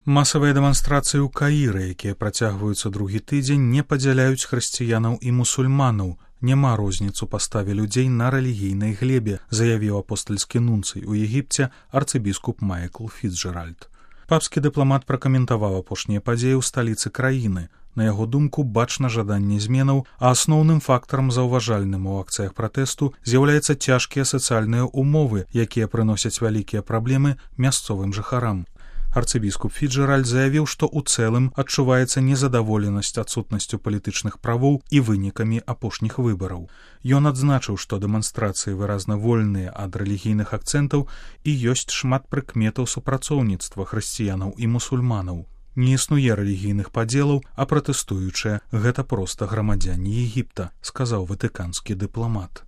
Масавыя дэманстрацыі ў Каіры, якія працягваюцца другі тыдзень, не падзяляюць хрысціянаў і мусульманаў. Няма розніц у паставе людзей на рэлігійнай глебе, заявіў апостальскі нунцый у Егіпце арцыбіскуп Майкл Фіцджеральд. Папскі дыпламат пракаментаваў апошнія падзеі ў сталіцы краіны. На яго думку, бачна жаданне зменаў, а асноўным фактарам заўважальным у акцыях пратэсту з'яўляюцца цяжкія сацыяльныя ўмовы, якія прыносяць вялікія праблемы мясцовым жыхарам. Арцыбіскуп Фіцджеральд заявіў, што ў цэлым адчуваецца незадаволенасць адсутнасцю палітычных правоў і вынікамі апошніх выбараў. Ён адзначыў, што дэманстрацыі выразна вольныя ад рэлігійных акцэнтаў і ёсць шмат прыкметаў супрацоўніцтва хрысціянаў і мусульманаў. Не існуе рэлігійных падзелаў, а пратэстуючыя гэта проста грамадзяне Егіпта, сказаў ватыканскі дыпламат.